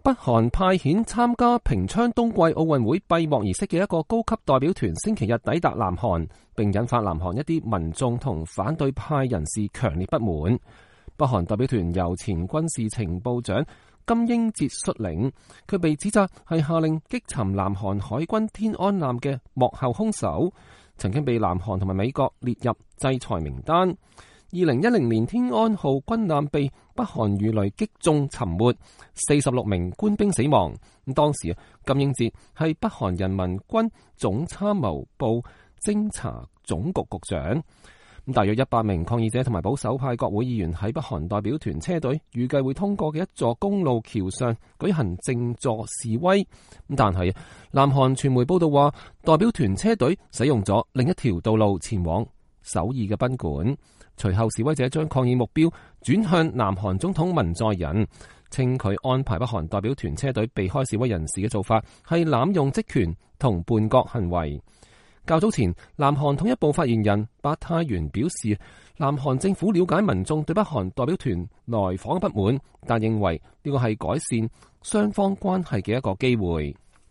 北韓派遣參加平昌冬季奧運會閉幕儀式嘅一個高級代表團星期日抵達南韓，並引發南韓一啲民眾同反對派人士強烈不滿。北韓代表團由前軍事情報長金英哲率領，佢被指責係下令擊沉南韓海軍天安艦嘅幕後兇手，曾經被南韓同埋美國列入制裁名單。2010年天安號軍艦被北韓魚雷擊中沉沒，46名官兵死亡。咁當時金英哲係北韓人民軍總參謀部偵察總局局長。大約100名抗議者同埋保守派國會議員喺北韓代表團車隊預計會通過嘅一座公路橋上舉行靜坐示威。但係南韓傳媒報道話，代表團車隊使用咗另一條道路前往首爾嘅賓館。隨後示威者將抗議目標轉向南韓總統文在寅，稱佢安排北韓代表團車隊避開示威人士嘅做法係濫用職權同叛國行為。較早前，南韓統一部發言人白泰元表示，南韓政府了解民眾對北韓代表團來訪不滿，但認為呢個係改善雙方關係嘅一個機會。